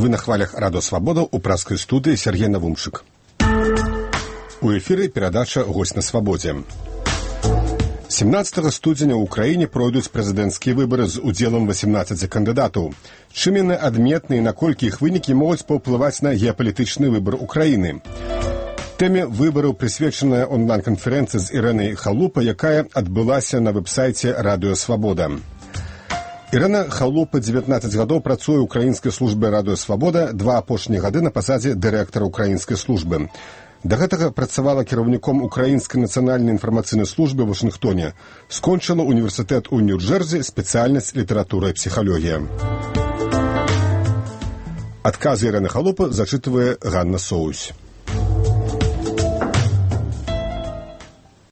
Вы на хвалях Радио Свобода у праскай студыі Сергей Навумчык. У эфіры перадача «Гость на свабодзе». 17 студзеня ў Украіне пройдуць прэзідэнцкія выбары з удзелам 18 кандыдатаў. Чым яны адметны і наколькі іх вынікі могуць паўплываць на геапалітычны выбар Украіны? Тэме выбараў прысвечаная онлайн-канферэнцыя з Ірэнай Халупа, якая адбылася на вэб-сайце Радыё Свабода. Ірына Халупа 19 гадоў працуе ў украінскай службе Радыё Свабода, 2 апошнія гады на пасадзе дырэктара украінскай службы. Да гэтага працавала кіраўніком украінскай нацыянальнай інфармацыйнай службы ў Вашынгтоне. Скончыла універсітэт у Нью-Джэрзі, спецыяльнасць літаратура і псіхалогія. Адказы Ірыны Халупы зачытвае Ганна Соусь.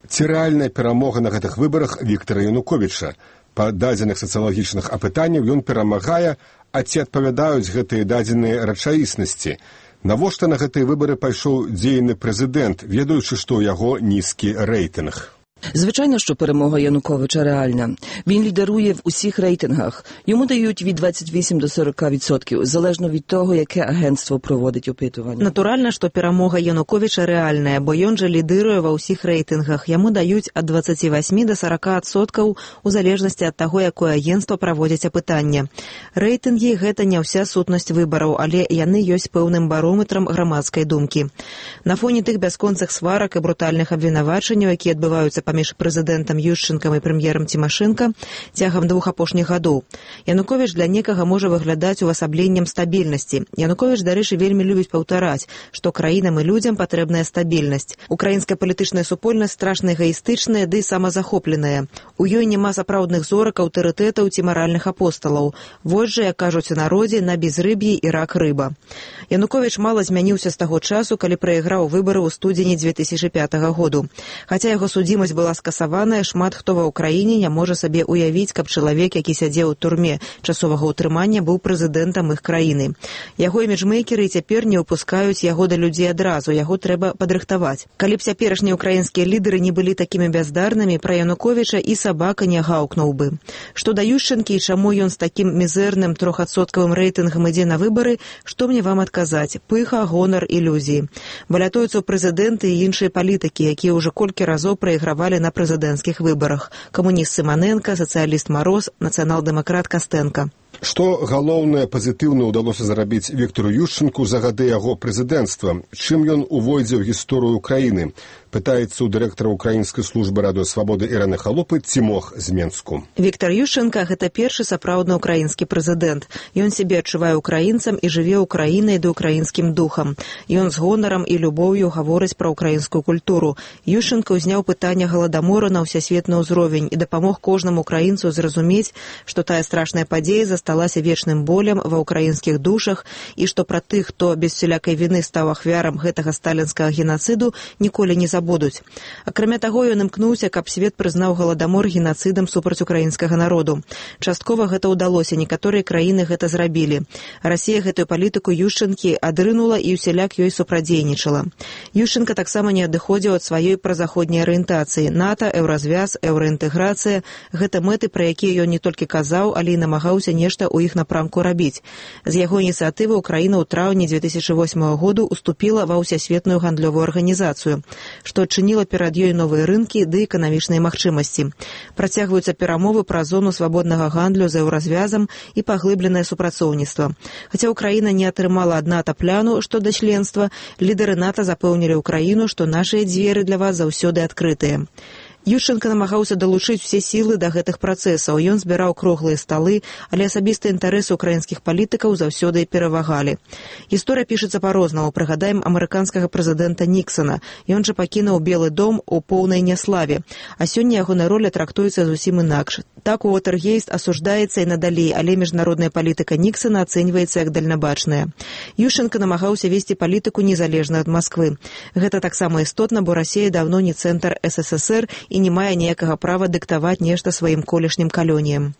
Ці рэальная перамога на гэтых выбарах Віктара Януковіча? Па дадзеных сацыялагічных апытанняў ён перамагае, а ці адпавядаюць гэтыя дадзеныя рэчаіснасці? Навошта на гэтыя выбары пайшоў дзейны прэзідэнт, ведаючы, што ў яго нізкі рэйтынг? Звичайно, що перемога Януковича реальна. Він лідерує в усіх рейтингах. Йому дають від 28 до 40%, залежно від того, яке агентство проводить опитування. Натурально, що перемога Януковича реальна, бо ён же лідирує во всіх рейтингах. Йому дають від 28 до 40% у залежності від того, яке агентство проводить опитання. Рейтинги – гэта не вся сутнасць выбараў, але яны ёсць пэўным барометрам грамадскай думкі. На фоне тых бясконцых сварак і брутальных абвінавачанняў, якія адбываюцца паміж прэзідэнтам Ющенкам і прэм'ерам Цімашэнка цягам 2 апошніх гадоў. Януковіч для некага можа выглядаць увасабленнем стабільнасці. Януковіч, дарэчы, вельмі любіць паўтараць, што краінам і людзям патрэбная стабільнасць. Украінская палітычная супольнасць страшна эгаістычная ды самазахопленая. У ёй няма сапраўдных зорак, аўтарытэтаў ці маральных апосталаў. Вось жа, як кажуць у народзе, на безрыб'і і рак рыба. Януковіч мала змяніўся з таго часу, калі прайграў выбары ў студзені 2005 году. Хаця яго судзімасць была скасаваная, шмат хто ва ўкраіне не можа сабе уявіць, каб чалавек, які сядзеў у турме часовага ўтрымання, быў прэзідэнтам іх краіны. Яго іміджмейкеры цяпер не выпускаюць яго да людзей адразу, яго трэба падрыхтаваць. Калі б цяперашнія ўкраінскія лідары не былі такімі бяздарнымі, пра Януковіча і сабака не гаўкнуў бы. Што да Ющенкі і чаму ён з такім мізэрным 3% рэйтынгам ідзе на выбары, што мне вам адказаць? Пыха, гонар, ілюзіі. Балятуюцца ў прэзідэнты і іншыя палітыкі, якія ўжо колькі разоў прайгравалі на прэзідэнцкіх выбарах. Камуніст Сыманенка, сацыяліст Мароз, нацыянал-дэмакрат Кастэнка. Што галоўнае пазітыўна ўдалося зарабіць Віктару Ющенку за гады яго прэзідэнцтва? Чым ён увойдзе ў гісторыю краіны? Пытаецца у дырэктара украінскай службы Радыё Свабоды Ірыны Халупы Цімох з Менску. Віктар Ющенка – гэта першы сапраўдны ўкраінскі прэзідэнт. Ён сябе адчувае украінцам і жыве ўкраінай ды ўкраінскім духам. Ён з гонарам і любоўю гаворыць пра ўкраінскую культуру. Ющенка ўзняў пытанне галадамору на ўсесветны ўзровень і дапамог кожнаму украінцу зразумець, што тая страшная падзея засталася вечным болем ва ўкраінскіх душах і што пра тых, хто без усялякай віны стаў ахвярам гэтага сталінскага генацыду, ніколі не забудуць. Акрамя таго, ён імкнуўся, каб свет прызнаў галадамор генацыдам супраць украінскага народу. Часткова гэта ўдалося, некаторыя краіны гэта зрабілі. Расія гэтую палітыку Ющенкі адрынула і ўсяляк ёй супрадзейнічала. Ющенка таксама не адыходзіў ад сваёй празаходняй арыентацыі. НАТО, еўразвяз, еўраінтэграцыя – гэта мэты, пра якія ён не толькі казаў, але і намагаўся нешта ў іх напрамку рабіць. З яго ініцыятывы Украіна ў траўні 2008 году уступіла ва ўсесветную гандлёвую арганізацыю, што адчыніла перад ёй новыя рынкі ды эканамічныя магчымасці. Працягваюцца перамовы пра зону свабоднага гандлю з еўразвязам і паглыбленае супрацоўніцтва. Хаця Украіна не атрымала ад НАТО пляну, што да членства, лідары НАТО запэўнілі Украіну, што нашыя дзверы для вас заўсёды адкрытыя. Ющенка намагаўся далучыць усе сілы да гэтых працэсаў. Ён збіраў круглыя сталы, але асабістыя інтарэсы ўкраінскіх палітыкаў заўсёды перавагалі. Гісторыя пішацца па-рознаму. Прыгадаем амерыканскага прэзідэнта Ніксана. Ён жа пакінуў Белы дом у поўнай няславе. А сёння ягоная роля трактуецца зусім інакш. Так Уотергейст асуждаецца і надалей, але міжнародная палітыка Ніксана ацэньваецца як дальнабачная. Ющенка намагаўся весці палітыку незалежна ад Масквы. Гэта таксама істотна, бо Расія даўно не цэнтр СССР і не мае ніякага права дыктаваць нешта сваім колішнім калоніям.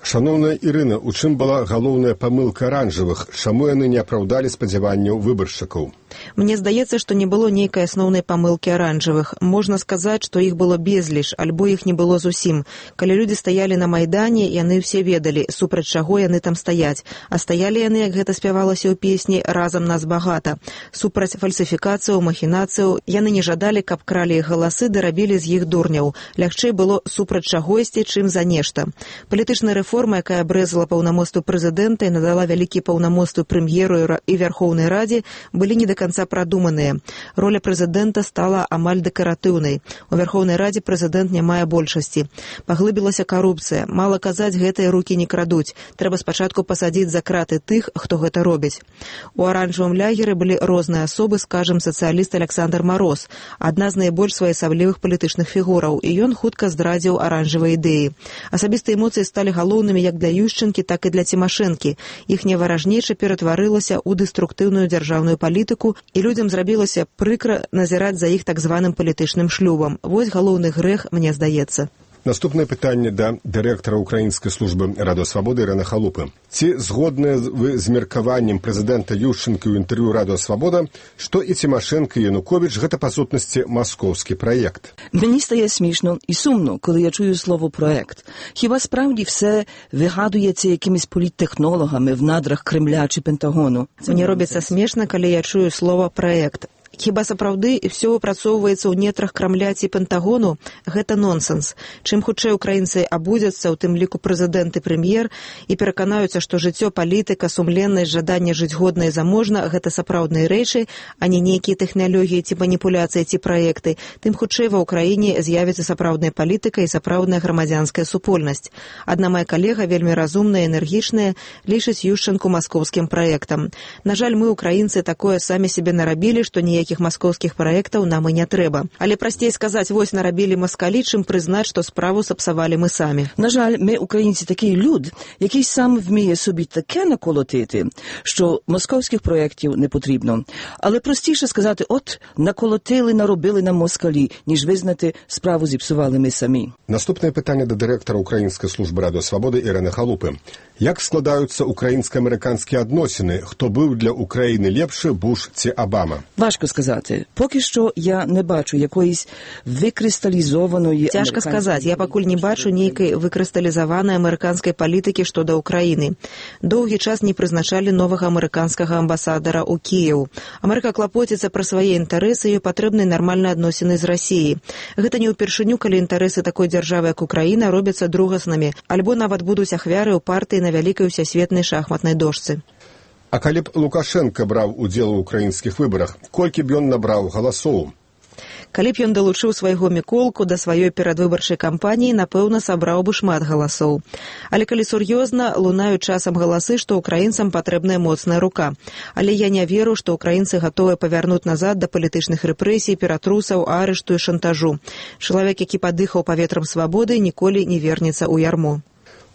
Шановная Ірына, у чым была галоўная памылка аранжавых? Чаму яны не апраўдалі спадзяванняў выбаршчыкаў? Мне здаецца, што не было нейкай асноўнай памылкі аранжавых. Можна сказаць, што іх было безліч, альбо іх не было зусім. Калі людзі стаялі на Майдане, яны ўсе ведалі, супраць чаго яны там стаяць. А стаялі яны, як гэта спявалася ў песні, разам нас багата. Супраць фальсіфікацыяў, махінацыяў, яны не жадалі, каб кралі іх галасы ды рабілі з іх дурняў. Лягчэй было супраць чагосьці, чым за нешта. Палітычная рэформа, якая абрэзала паўнамоцтвы прэзідэнта і надала вялікія паўнамоцтвы прэм'еру і Вярхоўнай Радзе, былі не да канца прадуманыя. Роля прэзідэнта стала амаль дэкаратыўнай. У Вярхоўнай Радзе прэзідэнт не мае большасці. Паглыбілася карупцыя. Мала казаць, гэтыя рукі не крадуць. Трэба спачатку пасадзіць за краты тых, хто гэта робіць. У аранжавым лягеры былі розныя асобы, скажам, сацыяліст Александр Мароз, адна з найбольш своеасаблівых палітычных фігураў, і ён хутка здрадзіў аранжавыя ідэі. Асабістыя эмоцыі сталі галоўнымі як для Ющенкі, так і для Цімашэнкі. Іхняя варажнеча ператварылася ў дэструктыўную дзяржаўную палітыку, і людзям зрабілася прыкра назіраць за іх так званым палітычным шлюбам. Вось галоўны грэх, мне здаецца. Наступнае пытанне да дырэктара Украінскай службы Радыё Свабоды Ірыны Халупы. Ці згодныя вы з меркаваннем прэзідэнта Ющенкі ў інтэрв'ю Радыё Свабода, што і Цімашэнка, і Януковіч – гэта, па сутнасці, маскоўскі праект? Мені стає смішно і сумно, коли я чую слово «проект». Хіба справді все вигадується якимись політтехнологами в надрах Кремля чи Пентагону? Мне робіцца смешна, калі я чую слово «проект». Хіба сапраўды ўсё выпрацоўваецца ў нетрах Крамля ці Пентагону? Гэта нонсенс. Чым хутчэй украінцы абудзяцца, у тым ліку прэзідэнт і прэм'ер, і пераканаюцца, што жыццё, палітыка, сумленнасць, жаданне жыць годна і заможна – гэта сапраўдныя рэчы, а не нейкія тэхналогіі ці маніпуляцыі ці праекты, тым хутчэй ва ўкраіне з'явіцца сапраўдная палітыка і сапраўдная грамадзянская супольнасць. Адна моя калега, вельмі разумная і энергічная, лічыць Ющенку маскоўскім праектам. На жаль, мы, украінцы, такое самі себе нарабілі, што ніякіх маскоўскіх праектаў нам і не трэба. Але прасцей сказаць, вось нарабілі маскалі, чым прызнаць, што справу сапсавалі мы самі. На жаль, ми, українці, такий люд, який сам вміє собі таке наколотити, що московських проєктів не потрібно. Але простіше сказати, от, наколотили, наробили нам москалі, ніж визнати, справу зіпсували ми самі. Наступне питання до директора Української служби Радіо Свободи Ірини Халупи. Як складаються українсько-американські відносини? Хто був для України ліпше, Буш чи Обама? Важко сказати. Поки що я не бачу якоїсь викристалізованої... Тяжко сказати. Я пакуль не бачу нейкай выкрысталізаванай амерыканскай палітыкі што да Ўкраіны. Доўгі час не прызначалі новага амерыканскага амбасадара ў Кіеў. Амерыка клапоціцца пра свае інтарэсы і патрэбныя нармальныя адносіны з Расіяй. Гэта не ўпершыню, калі інтарэсы такой дзяржавы, як Украіна, робяцца другаснымі, альбо нават будуць ахвяры ў партыі на вялікай усесветнай шахматнай дошцы. А калі б Лукашенко браў удзел у украінскіх выбарах, колькі б ён набраў галасоў? Калі б ён далучыў свайго Міколку да сваёй перадвыбарчай кампаніі, напэўна, сабраў бы шмат галасоў. Але калі сур'ёзна, лунаюць часам галасы, што украінцам патрэбная моцная рука. Але я не веру, што украінцы гатовыя павярнуць назад да палітычных рэпрэсій, ператрусаў, арышту і шантажу. Чалавек, які падыхаў паветрам свабоды, ніколі не вернецца ў ярмо.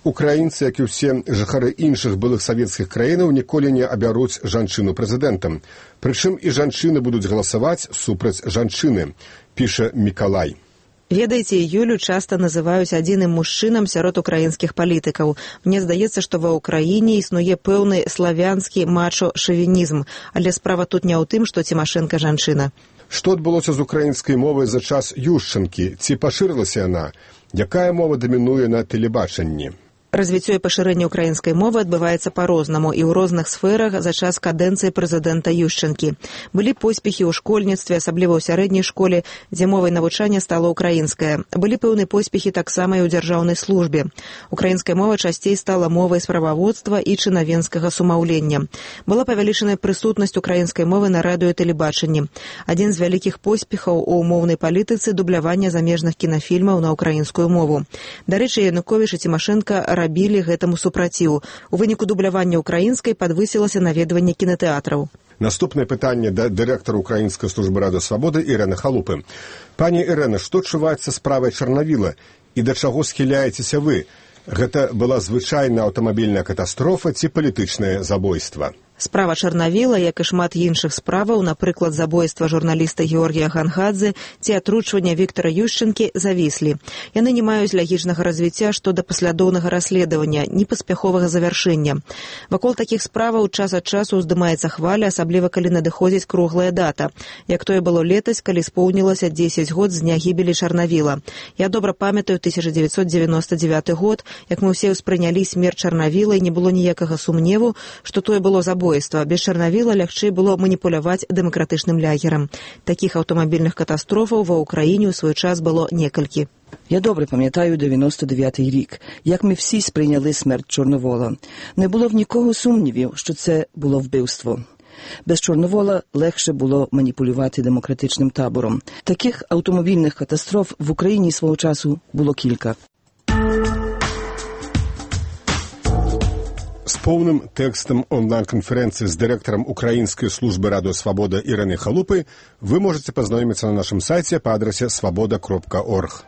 Украінцы, як і ўсе жыхары іншых былых савецкіх краінаў, ніколі не абяруць жанчыну прэзідэнтам. Прычым і жанчыны будуць галасаваць супраць жанчыны, піша Мікалай. Ведаеце, Юлю часта называюць адзіным мужчынам сярод украінскіх палітыкаў. Мне здаецца, што ва ўкраіне існуе пэўны славянскі мачо-шавінізм, але справа тут не ў тым, што Цімашэнка жанчына. Што адбылося з украінскай мовай за час Ющенкі? Ці пашырылася яна? Якая мова дамінуе на тэлебачанні? Развіццё і пашырэнне украінскай мовы адбываецца па-рознаму і ў розных сферах за час кадэнцыі прэзідэнта Ющенкі. Былі поспехі ў школьніцтве, асабліва ў сярэдняй школе, дзе мовай навучання стала ўкраінская. Былі пэўныя поспехі таксама і ў дзяржаўнай службе. Украінская мова часцей стала мовай справаводства і чынавенскага сумаўлення. Была павялічаная прысутнасць украінскай мовы на радыё і тэлебачанні. Адзін з вялікіх поспехаў у моўнай палітыцы – дубляванне замежных кінафільмаў на ўкраінскую мову. Дарэчы, Януковіч і Цімашэнка рабілі гэтаму супраціў. У выніку дублявання украінскай падвысілася наведванне кінатэатраў. Наступнае пытанне да дырэктара Украінскай службы Радыё Свабоды Ірыны Халупы. Пані Ірына, што чуваецца з справай Чарнавіла і да чаго схіляецеся вы? Гэта была звычайная аўтамабільная катастрофа ці палітычнае забойства? Справа Чарнавіла, як і шмат іншых справаў, напрыклад, забойства журналіста Георгія Гангадзе ці атручвання Віктора Ющенкі, завіслі. Яны не маюць лагічнага развіцця што да паслядоўнага расследавання, ні паспяховага завяршэння. Вакол такіх справаў час ад часу ўздымаецца хваля, асабліва калі надыходзіць круглая дата, як тое было летась, калі споўнілася 10 год з дня гібелі Чарнавіла. Я добра памятаю 1999 год, як мы ўсе ўспрынялі смерць Чарнавіла, і не было ніякага сумневу, што тое было забойства. Без Чарнавіла лягчэй было маніпуляваць дэмакратычным лягерам. Такіх аўтамабільных катастрофаў ва Ўкраіне ў свой час было некалькі. Я добре пам'ятаю 99-й рік, як ми всі сприйняли смерть Чорновола. Не було в нікого сумнівів, що це було вбивство. Без Чорновола легше було маніпулювати демократичним табором. Таких автомобільних катастроф в Україні свого часу було кілька. С полным текстом онлайн-конференции с директором Украинской службы «Радио Свобода» Ириной Халупой вы можете познакомиться на нашем сайте по адресе svoboda.org.